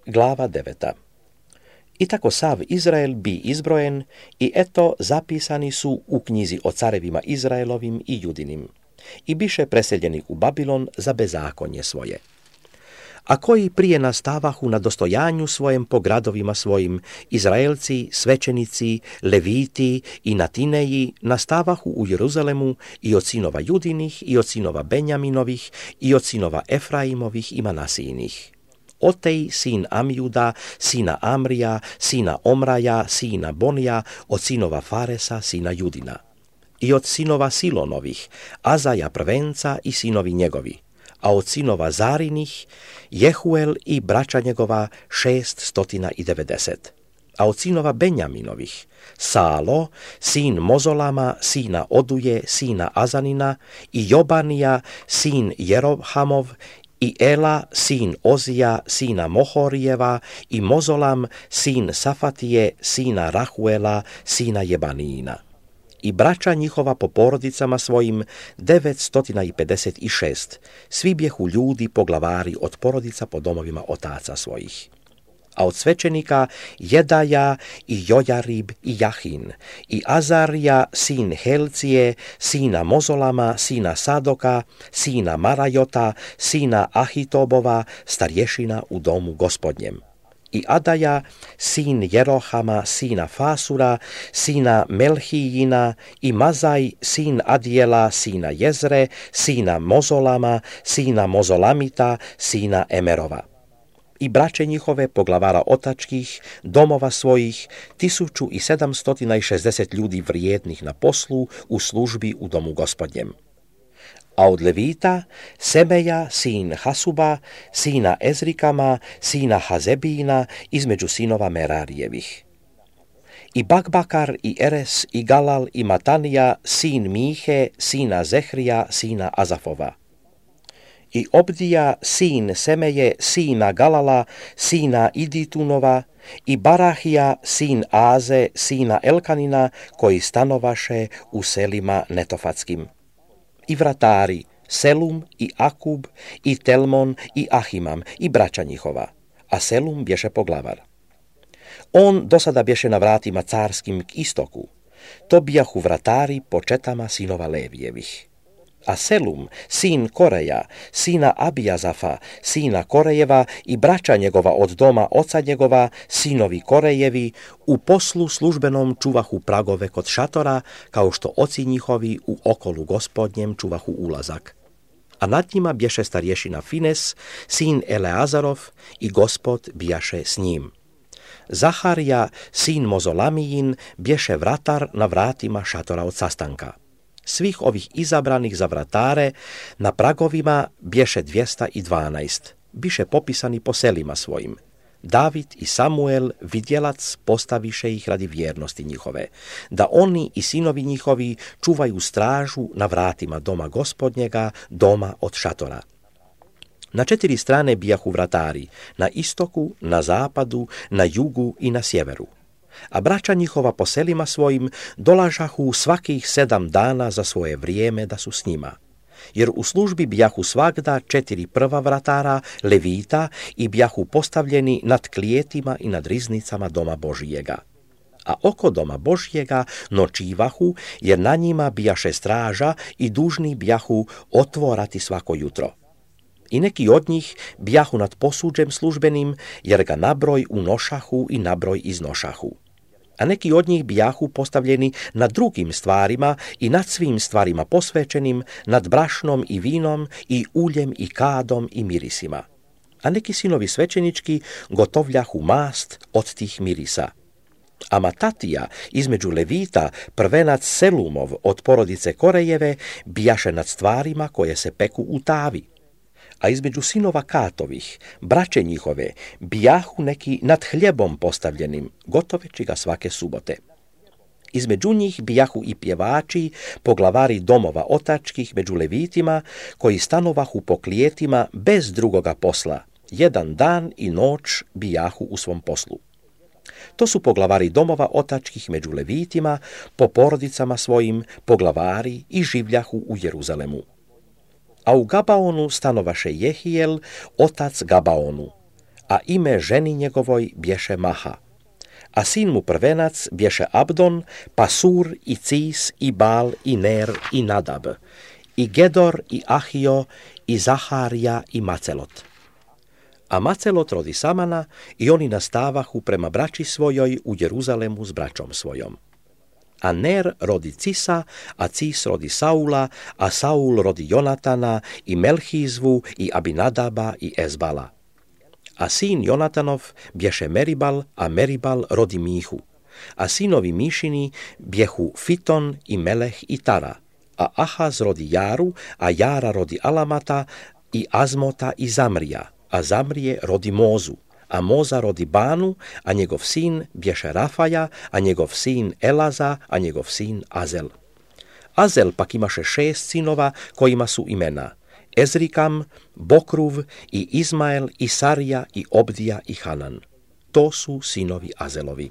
Glava 9. I tako sav Izrael bi izbrojen i eto zapisani su u knjizi o carevima Izraelovim i Judinim i biše preseljeni u Babilon za bezakonje svoje. A koji prije nastavahu na dostojanju svojem po gradovima svojim, Izraelci, svećenici, Leviti i Natineji nastavahu u Jeruzalemu i od sinova Judinih i od sinova Benjaminovih i od sinova Efraimovih i Manasijinih. Otej, sin Amjuda, sina Amrija, sina Omraja, sina Bonija, od sinova Faresa, sina Judina. I od sinova Silonovih, Azaja prvenca i sinovi njegovi, a od sinova Zarinih, Jehuel i braća njegova 690. A od sinova Benjaminovih, Salo, sin Mozolama, sina Oduje, sina Azanina, i Jobanija, sin Jerohamov, i Ela, sin Ozija, sina Mohorijeva, i Mozolam, sin Safatije, sina Rahuela, sina Jebanijina. I braća njihova po porodicama svojim 956, svi bjehu ljudi poglavari od porodica po domovima otaca svojih. A od svećenika Jedaja i Jojarib i Jahin, i Azarija, sin Helcije, sina Mozolama, sina Sadoka, sina Marajota, sina Ahitobova, starješina u domu gospodnjem. I Adaja, sin Jerohama, sina Fasura, sina Melhijina, i Mazaj, sin Adijela, sina Jezre, sina Mozolama, sina Mozolamita, sina Emerova. I braće njihove poglavara otačkih, domova svojih, 1760 ljudi vrijednih na poslu u službi u domu gospodnjem. A od Levita, Semeja, sin Hasuba, sina Ezrikama, sina Hazebijina, između sinova Merarijevih. I Bakbakar, i Eres, i Galal, i Matanija, sin Mihe, sina Zehrija, sina Azafova. I Obdija, sin Semeje, sina Galala, sina Iditunova, i Barahija, sin Aze, sina Elkanina, koji stanovaše u selima netofatskim. I vratari, Selum i Akub, i Telmon i Ahimam, i braća njihova, a Selum bješe poglavar. On do sada bješe na vratima carskim k istoku, to bijahu vratari po četama sinova Levijevih. A Selum, sin Koreja, sina Abijazafa, sina Korejeva, i braća njegova od doma oca njegova, sinovi Korejevi, u poslu službenom čuvahu pragove kod šatora, kao što oci njihovi u okolu gospodnjem čuvahu ulazak. A nad njima bješe starješina Fines, sin Eleazarov, i Gospod bijaše s njim. Zaharija, sin Mozolamijin, bješe vratar na vratima šatora od sastanka. Svih ovih izabranih za vratare na pragovima bješe 212, biše popisani po selima svojim. David i Samuel, vidjelac, postaviše ih radi vjernosti njihove, da oni i sinovi njihovi čuvaju stražu na vratima doma gospodnjega, doma od šatora. Na 4 strane bijahu vratari, na istoku, na zapadu, na jugu i na sjeveru. A braća njihova po selima svojim dolažahu svakih 7 dana za svoje vrijeme da su s njima. Jer u službi bijahu svagda 4 prva vratara, Levita, i bijahu postavljeni nad klijetima i nad riznicama doma Božijega. A oko doma Božijega nočivahu, jer na njima bijaše straža i dužni bijahu otvorati svako jutro. I neki od njih bijahu nad posuđem službenim, jer ga nabroj unošahu i nabroj iznošahu. A neki od njih bijahu postavljeni nad drugim stvarima i nad svim stvarima posvećenim, nad brašnom i vinom i uljem i kadom i mirisima. A neki sinovi svećenički gotovljahu mast od tih mirisa. A Matatija, između Levita, prvenac Selumov od porodice Korejeve, bijaše nad stvarima koje se peku u tavi. A između sinova Katovih, braće njihove, bijahu neki nad hljebom postavljenim, gotoveći ga svake subote. Između njih bijahu i pjevači, poglavari domova otačkih među Levitima, koji stanovahu po klijetima bez drugoga posla, 1 dan i noć bijahu u svom poslu. To su poglavari domova otačkih među Levitima, po porodicama svojim, poglavari i življahu u Jeruzalemu. A u Gabaonu stanovaše Jehijel, otac Gabaonu, a ime ženi njegovoj bješe Maha. A sin mu prvenac bješe Abdon, pa Sur i Cis i Bal i Ner i Nadab, i Gedor i Ahio i Zaharija i Macelot. A Macelot rodi Samana i oni nastavahu prema braći svojoj u Jeruzalemu s braćom svojom. A Ner rodi Cisa, a Cis rodi Saula, a Saul rodi Jonatana i Melhizvu i Abinadaba i Ezbala. A sin Jonatanov bješe Meribal, a Meribal rodi Mihu. A sinovi Mišini bjehu Fiton i Meleh i Tara. A Ahaz rodi Jaru, a Jara rodi Alamata i Azmota i Zamrija. A Zamrije rodi Mozu. A Moza rodi Banu, a njegov sin bješe Rafaja, a njegov sin Elaza, a njegov sin Azel. Azel pak imaše 6 sinova kojima su imena Ezrikam, Bokruv i Izmael i Sarija i Obdija i Hanan. To su sinovi Azelovi.